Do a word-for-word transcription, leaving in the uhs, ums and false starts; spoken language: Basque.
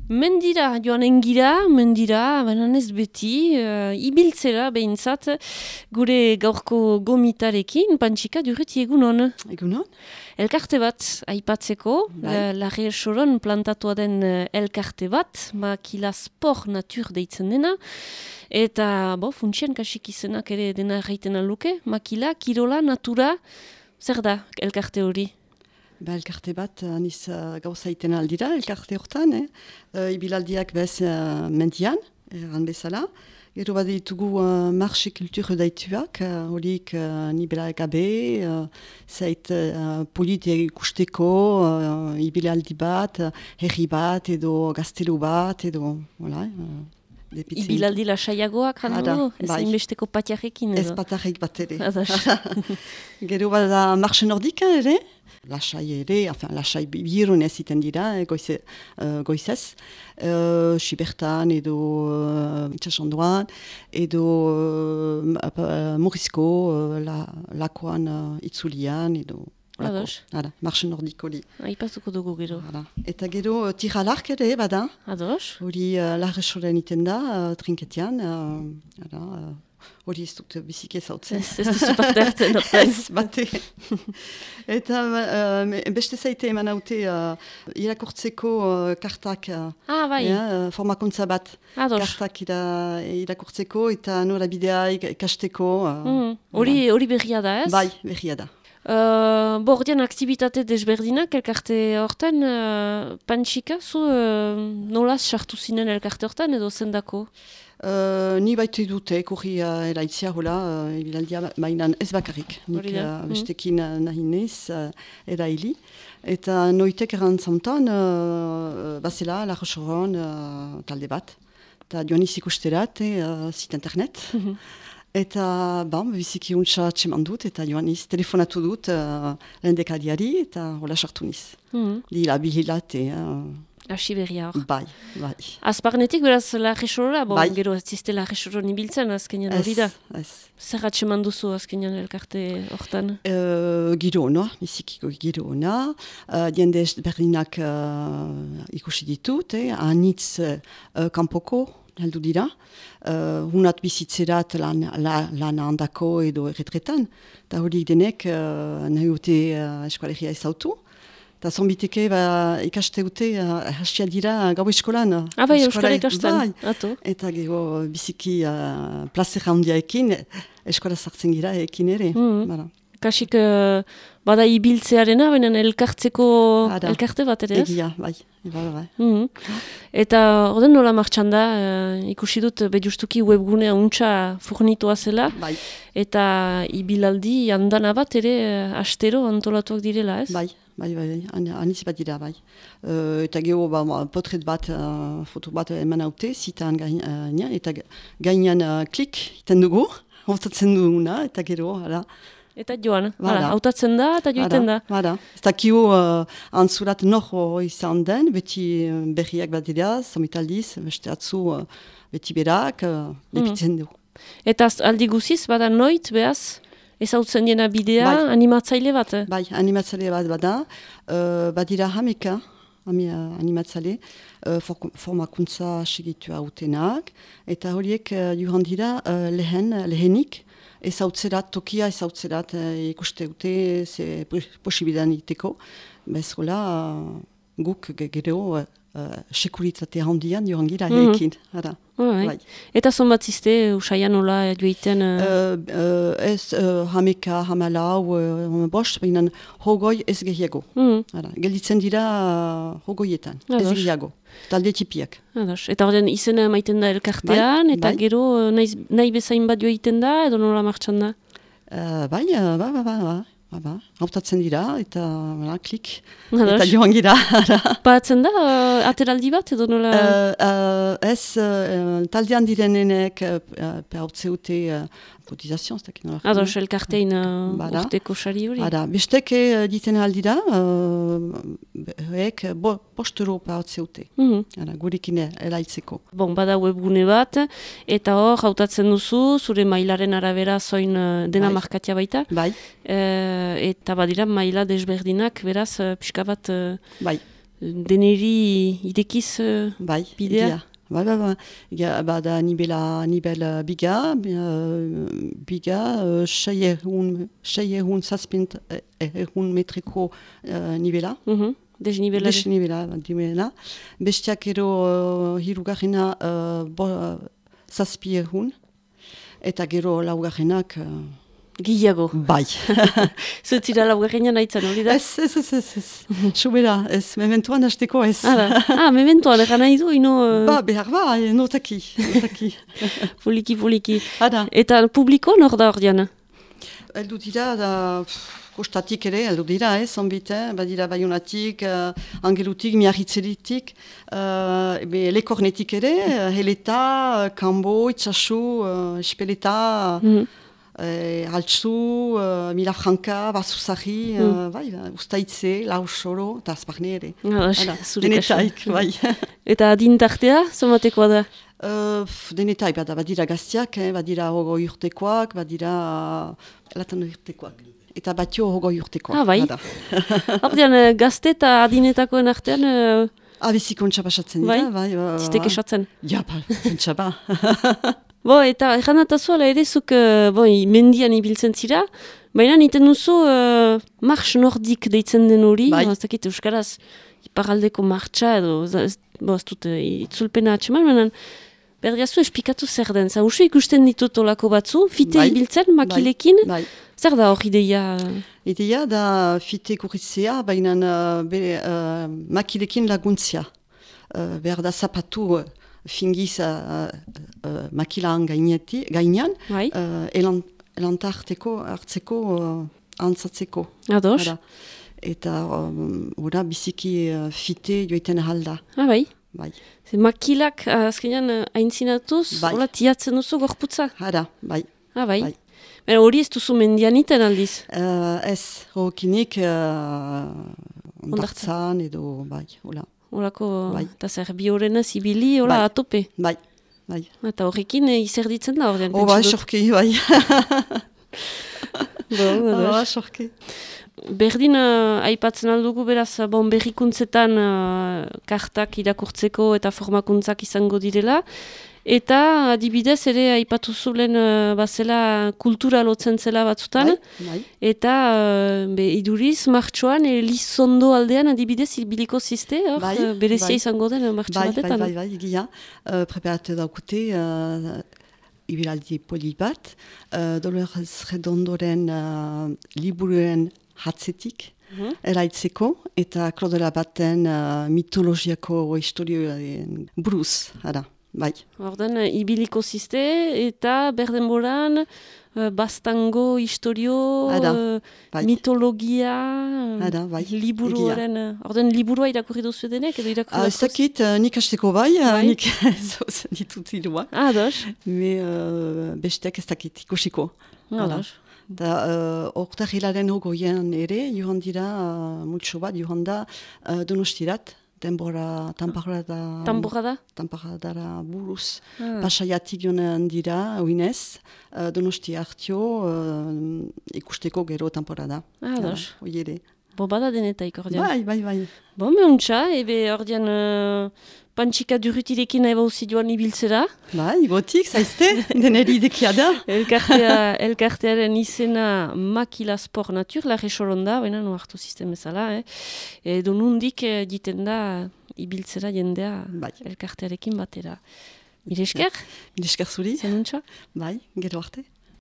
Mendira, joanen gira, mendira, baina ez beti, uh, ibiltzera behintzat, gure gaurko gomitarekin, Pantxika Durruti egunon. Egunon. Elkarte bat, aipatzeko, Bai. Larre Soron plantatua den uh, elkarte bat, makila sport natur deitzen dena, eta bo, funtsien kasik izenak ere dena erraiten aluke, makila, kirola, natura, zer da elkarte hori? Ba, elkarte bat, aniz uh, gauza iten aldira, elkarte hortan, eh? uh, ibilaldiak bez uh, mendian, erran bezala. Gero bat ditugu uh, marxe kultur daituak, horik uh, nibela gabe, uh, zait uh, politia ikusteko, uh, ibilaldi bat, uh, herri bat, edo gaztelu bat, edo, voilà, uh, Ibilaldi lasaiagoak handu, ez bai. Inbesteko patiarekin edo? Ez patarek bat ere. Adas. Gero bat da marxe nordika ere, lasai ere, enfin, lasai birun ez iten dira, eh, goize, uh, goizez, uh, Sibertan edo uh, itxasondoan, edo uh, Morizko, uh, la, lakoan uh, itzulian, edo Ados. Hala, marxe nordiko li. Aipatuko dugu gero. Hala. Eta gero uh, tiralark ere, bada. Ados. Hori uh, larre soren iten da, uh, trinketian, uh, hala, uh, hori ez dut biziki ezautzen. Ez, ez duzu parte hartzen, Ez, bate. Eta uh, beste zaite eman haute uh, irakurtzeko uh, kartak, uh, Ah, bai. ja, uh, formakuntza bat. Ados. Kartak ira, irakurtzeko eta nola bidea ikasteko. uh, Mm, Hori hori berria da, ez? Bai, berria da. Uh, Bordian aktibitate desberdinak elkarte hortan, uh, Pantxika, zu uh, nolaz sartu zinen elkarte hortan edo zendako? Uh, ni baite dute, kurri uh, eraitzia, hola, uh, ibilaldia mainan ez bakarrik. Nik Hori da. uh, bestekin uh, nahi nez, uh, eraili. Eta noitek erantzamtan, uh, bazela, Larre Soron uh, talde bat. Eta joan izik usterat, uh, zit internet. Eta, bam, biziki untsa txeman dut, eta joan iz, telefonatu dut uh, lehendekariari, eta hola sartu niz. Mm. Dila bihilate, uh, Asi berria hor. bai, bai. Azparnetik beraz Larre Sorora, bon, Bai. gero ez zizte Larre Soron ibiltzen azkenean Ez, hori da. ez. Zer atseman duzu azkenean elkarte hortan? Uh, giro ona, bizikiko giro ona, uh, diende berdinak uh, ikusi ditut, eh, anitz uh, kanpoko, heldu dira, uh, hunat bizitzerat lan, la, lan handako edo erretretan, eta hori denek uh, nahi dute uh, eskoalegia ezautu. Eta zonbiteke ba, ikaste dute, uh, hasia dira gau eskolan. Ah, bai, Eskola- euskara ikasten, bai. ato. Eta gero biziki uh, plazera handiaekin, eskola sartzen gira ekin ere. Mhm. Bara. Kasik uh, bada ibiltzearena, baina elkartzeko Ada. elkarte bat ere, ez? Egia, bai. Bai, bai. Mhm. Eta orden nola martxan da, uh, ikusi dut bejustuki webgunea untxa furnitua zela, Bai, eta ibilaldi handana bat ere uh, astero antolatuak direla, ez? bai, bai, bai, bai. An, aniz bat dira, bai. Uh, eta gero, ba, ma, potret bat, uh, foto bat eman haute, zitan gainean, uh, eta gainean uh, klik, iten dugu, hautatzen duguna, eta gero, hala. Eta joan, Bada. hala, hautatzen da eta joiten da. Bada, ez dakio uh, antzurat nor izan den, beti uh, berriak bat dira, zomitaldiz, beste atzu uh, beti berak, uh, lepitzen du. Eta az- aldi guziz, bada noit, behaz, ezautzen diena bidea, Bai. animatzaile bat. eh? Bai, animatzale bat bada, uh, badira hameka, ami, uh, animatzale, uh, for, formakuntza segitua utenak, eta horiek uh, johan dira uh, lehen, lehenik, ezautzerat, tokia ezautzerat uh, ikuste dute, ze posibidan iteko, bez hola, uh, guk ge- gero uh, uh, sekuritate handian johan gira Mhm. ekin, ara. Bai. Bai. Eta zonbat zizte, usaian nola joiten... Uh, Uh, uh, ez uh, hameka, hamalau, uh, bost, baina hogoi ez gehiago. mm, Hala, gelditzen dira uh, hogoietan, ez Ados. gehiago, talde tipiak. ados. Eta horren izena maiten da elkartean, Bai, eta bai. gero uh, nahi, nahi bezain bat joiten da, edo nola martxan da? Uh, bai, uh, ba, ba, ba, ba, ba, ba. Hautatzen dira, eta voilà, klik, Ados. eta joan gira. hala. Batzen da, uh, ateraldi bat, edo nola... Uh, uh, ez uh, taldean direnenek uh, uh, hautzeute uh, kotizazion, ez dakit nola. Ados, elkartein uh, Bada. urteko sari hori. Hara, besteke uh, diten aldira, uh, ek bo, bost euro hautzeute. Mhm. Hara, gurekin eraitzeko. Bon, bada webgune bat, eta hor, hautatzen duzu, zure mailaren arabera zoin uh, dena Bai. markatia baita, Bai, Eh, eta badira maila desberdinak, beraz, uh, pixka bat... uh, bai. deneri idekiz uh, bai, bidea? egia. Bai, bai, bai. Egia, bada nibela, nibel uh, biga, uh, biga, uh, sei egun, sei egun zazpint egun metriko uh, nibela. Mhm. Desnibela. Desnibela, dimela. Bestiak ero uh, hirugarrena uh, bo, uh, zazpi egun. Eta gero laugarrenak... Uh, Gilago. bai. Zutzira laugarrena nahitzen, hori da? Ez, ez, ez, ez, ez. Subera, ez, mementuan hasteko ez. Ara. Ah, mementoan, egan nahi du, ino... Uh... Ba, behar ba, notaki, notaki. Poliki, poliki. Hada. Eta publiko nor da hor diana? Eldu dira, da, kostatik ere, eldu dira, ez, onbite, badira Baionatik, uh, Angelutik, Miarritzeritik, uh, be, Lekornetik ere, uh, Heleta, Kambo, Itxasu, uh, Espeleta, mm-hmm. Eh, Altsu, uh, Milafranca, Basuzari, mm. uh, bai, Ustaitze, Lausoro, eta Azparne ere. Ah, denetaik, bai. Eta adintartea, zomatekoa da? Uh, denetaik, bada, badira gaztiak, eh, badira hogo urtekoak, badira uh, latan urtekoak. Eta batio hogo urtekoak. Ah, bai. Hordian, gazte eta adinetakoen artean... Uh... Ah, bizikontxa pasatzen dira, bai. bai uh, Ziteke esatzen. Ja, ba, kontxa ba. Bo, eta erranatazu ala ere zuk uh, bo, mendian ibiltzen zira, baina niten duzu uh, marx nordik deitzen den hori, bai. ez dakit euskaraz iparaldeko martxa edo, ez, bo, ez dut uh, itzulpena atxeman, baina berdiazu espikatu zer den, za usu ikusten ditut olako batzu, fite bai. Ibiltzen makilekin, bai. Bai. Zer da hor ideia? Ideia da fite kurritzea, baina uh, uh, makilekin laguntzia, uh, behar da zapatu... Uh, fingiz uh, uh, makilaan gainean, bai. uh, elan, elantarteko, hartzeko, uh, antzatzeko. Ados. Hada. Eta um, ora, biziki uh, fite joiten ahalda. Ah, bai? Bai. Ze makilak uh, azkenean uh, aintzinatuz, bai. Hola tiatzen duzu gorputza? Hada, bai. Ah, bai? Bai. Bera hori ez duzu mendian iten aldiz? Uh, ez, rokinik uh, ondartzan edo, bai, hola. Olako, bai. Eta zer, bi horrena zibili, hola, bai. Atope. Bai, bai. Eta horrekin e, izerditzen da horrean. Oh, bai, sorki, bai. Bon, oh, bai, sorki. Berdin, uh, aipatzen aldugu, beraz, bon, berrikuntzetan uh, kartak irakurtzeko eta formakuntzak izango direla. Eta adibidez ere aipatu zulen uh, bazela kultura lotzen zela batzutan. Bai, bai. Eta uh, be, iduriz martxoan Elizondo aldean adibidez ibiliko ziste, hor bai, berezia bai. Izango den martxo bai, batetan. Bai, bai, bai, egia. Uh, preparatu daukute uh, ibilaldi poli bat. Uh, Dolores Redondoren uh, liburuen hatzetik. Mm-hmm. Eraitzeko, eta klodera baten uh, mitologiako historioen buruz, ara. Bai. Ordan, ibiliko ziste eta berdenboran uh, bastango historio, uh, bai. Mitologia, Ada, bai. Liburuaren... Ordan, liburua irakurri duzu denek edo irakurri uh, ez dakit, uh, nik hasteko bai, bai. Uh, nik zozen ditut irua. Ah, dos. Me uh, bestek ez dakit ikusiko. Ah, dos. Da, uh, oktarrilaren hogoian ere, johan dira, uh, multso bat, johan da, uh, donostirat. Denbora, tamparada... Tamparada? Tamparadara buruz. Ah. Pasaiatik joan dira, oinez, uh, donosti hartio, uh, ikusteko gero tamparada. Ah, dos. Ja, oiere. Bo, bada denetaik ordean. Bai, bai, bai. Bo, meuntza, ebe ordean uh, pantxika durutirekin eba usi joan ibiltzera. Bai, gotik, zaizte, deneri idekia da. Elkartea, elkartearen izena Makila Sport Natur, larre soronda, baina no hartu sistem ezala, eh? Edo nundik eh, diten da ibiltzera jendea bai. Elkartearekin batera. Mire esker? Mire esker zuri. Zenuntza? Bai, gero arte.